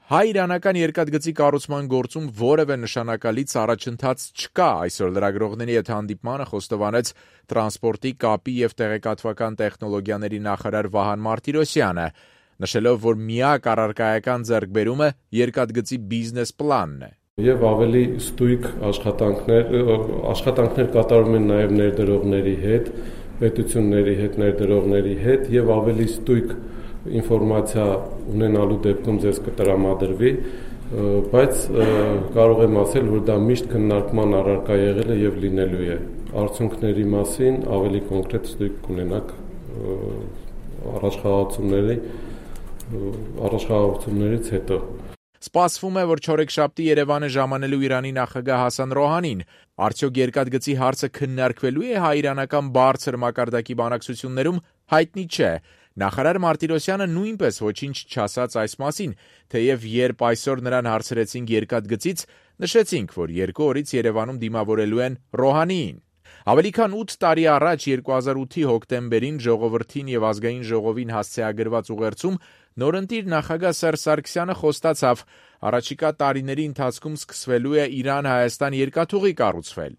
Հայ-իրանական երկաթգծի կառուցման գործում որևէ նշանակալից առաջընթաց չկա, այսօր լրագրողների հետ հանդիպմանը խոստովանեց տրանսպորտի, կապի և տեղեկատվական տեխնոլոգիաների նախարար Վահան Մարտիրոսյանը, նշելով, որ միակ առարկայական ձեռքբերումը երկաթգծի բիզնես պլանն է։ Եվ ավելի ստույգ աշխատանքներ կատարում են նաև ներդրողների հետ, պետությունների հետ, ներդրողների հետ եւ ավելի ստույգ ինֆորմացիա ունենալու դեպքում ձեզ կտրամադրվի, բայց կարող եմ ասել, որ դա միշտ քննարկման առարկա եղել է եւ լինելու է։ Արդյունքների մասին ավելի կոնկրետ ստույգ կունենաք առաջխաղացումներից հետո։ Սպասվում է, որ չորեքշաբթի Երևան է ժամանելու Իրանի նախագահ Հասան Ռոհանին։ Արդյոք երկաթգծի հարցը քննարկվելու է հայ-իրանական բարձր մակարդակի բանակցություններում, հայտնի չէ։ Նախարար Մարտիրոսյանը նույնպես ոչինչ չասաց այս մասին, թեև երբ այսօր նրան հարցրեցինք երկաթգծից, նշեցինք, որ 2 օրից Երևանում դիմավորելու են Ռոհանիին։ Ավելի քան 8 տարի առաջ 2008-ի հոկտեմբերին Ժողովրդին եւ Ազգային ժողովին հասցեագրված ուղերձում նորընտիր նախագահ Սերժ Սարգսյանը խոստացավ, առաջիկա տարիների ընթացքում սկսվելու է Իրան-Հայաստան երկաթուղի կառուցվել։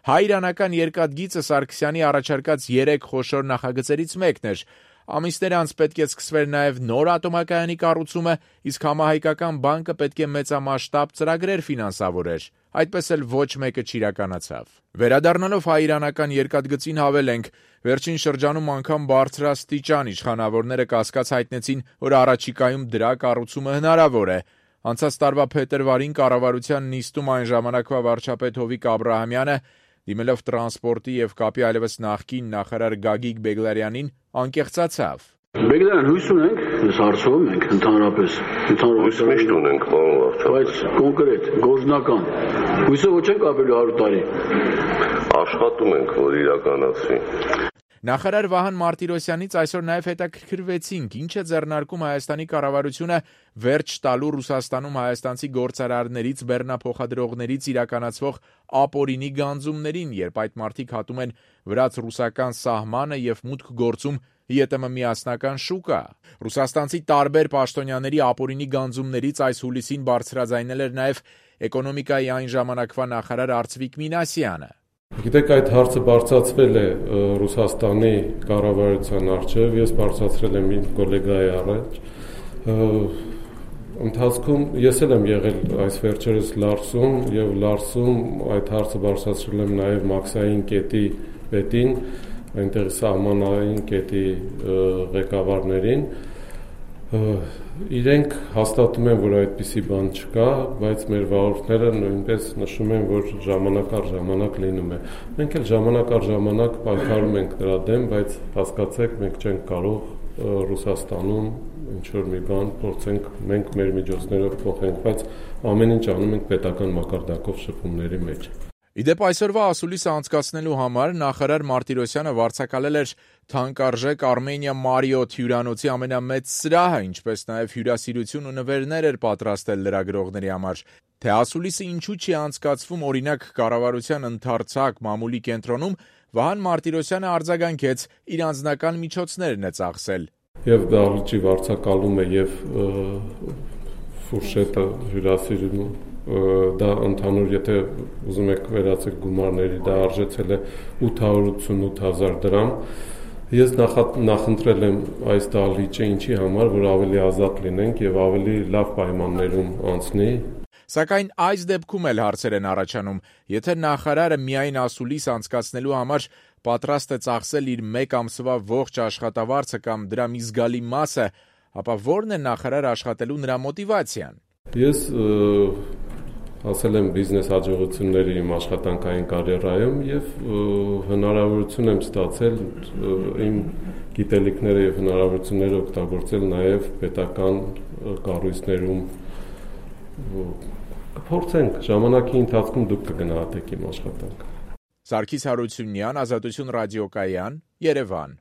Հայ-իրանական երկաթգիծը Սարգսյանի առաջարկած 3 խոշոր նախագծերից մեկն էր։ Ամիսներ անց պետք է սկսվեր նաև նոր ատոմակայանի կառուցումը, իսկ համահայկական բանկը պետք է մեծամասշտաբ ծրագրեր ֆինանսավորեր։ Այդպես էլ ոչ մեկը չիրականացավ։ Վերադառնալով հայ-իրանական երկաթգծին հավելենք, վերջին շրջանում անգամ բարձրաստիճան իշխանավորները կասկած հայտնեցին, որ առաջիկայում դրա կառուցումը հնարավոր է։ Անցած տարվա փետրվարին կառավարության նիստում այն ժամանակվա վարչապետ Հովիկ Աբրահամյանը, դիմելով տրանսպորտի եւ կապի այլևս նախկին նախարար Գագիկ Բեգլարյանին, անկեղծացավ։ Բեգլարյան, հույս ունենք, ես հարցում ենք ընդհանրապես, հույս միշտ ունենք, պարոն վարչապետ։ Բայց կոնկրետ, գործնական, հույսով չենք ապրելու 100 տարի։ Աշխատում ենք, որ իրականացվի։ Նախարար Վահան Մարտիրոսյանից այսօր նաև հետաքրքրվեցինք, ինչ է ձեռնարկում Հայաստանի կառավարությունը վերջ տալու Ռուսաստանում հայաստանցի գործարարներից, բեռնափոխադրողներից իրականացվող ապօրինի գանձումներին, երբ այդ մարդիկ հատում են վրաց-ռուսական սահմանը եւ մուտք գործում ԵՏՄ միասնական շուկա։ Ռուսաստանցի տարբեր պաշտոնյաների ապօրինի գանձումներից այս հուլիսին բարձրաձայնել էր նաև էկոնոմիկայի այն ժամանակվա նախարար Արծվիկ Մինասյանը։ Գիտեք, այդ հարցը բարձրացվել է Ռուսաստանի կառավարության առջև, ես բարձրացրել եմ իմ գոլեգայի առաջ։ Ընթացքում ես էլ եմ եղել այս վերջերս Լարսում եւ Լարսում այդ հարցը բարձրացրել եմ նաեւ Մաքսային կետի պետին, այնտեղ սահմանային կետի ղեկավարներին։ Իրենք հաստատում են, որ այդպիսի բան չկա, բայց մեր վարորդները նույնպես նշում են, որ ժամանակ առ ժամանակ լինում է։ Մենք էլ ժամանակ առ ժամանակ պայքարում ենք դրա դեմ, բայց հասկացեք, մենք չենք կարող Ռուսաստանում ինչ-որ մի բան փորձենք մենք մեր միջոցներով փոխենք, բայց ամեն ինչ անում ենք պետական մակարդակով շփումների մեջ։ Իդեպ այսօրվա ասուլիսը անցկացնելու համար նախարար Մարտիրոսյանը վարձակալել էր թանկարժեք Armenia Marriott հյուրանոցի ամենամեծ սրահը, ինչպես նաև հյուրասիրություն ու նվերներ էր պատրաստել լրագրողների համար։ Թե ասուլիսը ինչու չի անցկացվում օրինակ կառավարության ընդարձակ մամուլի կենտրոնում, Վահան Մարտիրոսյանը արձագանքեց, իր անձնական միջոցներն է ծախսել։ Եվ դահլիճի վարձակալումը եւ ֆուրշետը հյուրասիրումը դա ընդհանուր, եթե ուզում եք վերացեք գումարների, դա արժեցել է 888,000 դրամ։ Ես նախընտրել եմ այս դահլիճը ինչի համար, որ ավելի ազատ լինենք եւ ավելի լավ պայմաններում անցնի։ Սակայն այս դեպքում էլ հարցեր են առաջանում, եթե նախարարը միայն ասուլիս անցկացնելու համար պատրաստ է ծախսել իր 1 ամսվա ողջ աշխատավարձը կամ դրա մի զգալի մասը, ապա ո՞րն է նախարար աշխատելու նրա մոտիվացիան։ Ես ասել եմ բիզնես հաջողությունների իմ աշխատանքային կարիերայում եւ հնարավորություն եմ ստացել իմ գիտելիքները եւ հնարավորությունները օգտագործել նաեւ պետական կառույցներում։ Կփորձենք ժամանակի ընթացքում դուք կգնահատեք իմ աշխատանքը։ Սարգիս Հարությունյան, Ազատություն ռադիոկայան, Երևան։